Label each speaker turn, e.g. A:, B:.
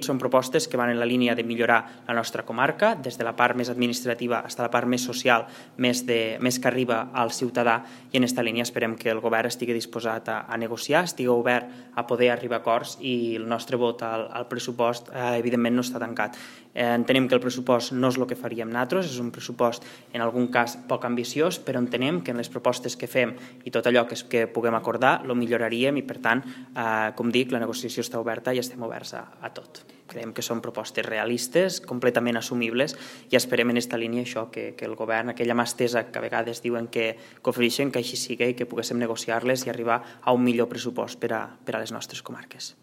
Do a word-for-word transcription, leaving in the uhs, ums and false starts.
A: Són propostes que van en la línia de millorar la nostra comarca, des de la part més administrativa fins a la part més social, més, de, més que arriba al ciutadà, i en aquesta línia esperem que el govern estigui disposat a, a negociar, estigui obert a poder arribar a acords, i el nostre vot al, al pressupost eh, evidentment no està tancat. Eh, entenem que el pressupost no és el que faríem nosaltres, és un pressupost en algun cas poc ambiciós, però entenem que en les propostes que fem i tot allò que, que puguem acordar lo milloraríem, i per tant, eh, com dic, la negociació està oberta i estem oberts a, a tot. Creiem que són propostes realistes, completament assumibles, i esperem en aquesta línia això, que, que el govern, aquella mà estesa que a vegades diuen que, que ofereixen, que així sigui i que poguéssim negociar-les i arribar a un millor pressupost per a, per a les nostres comarques.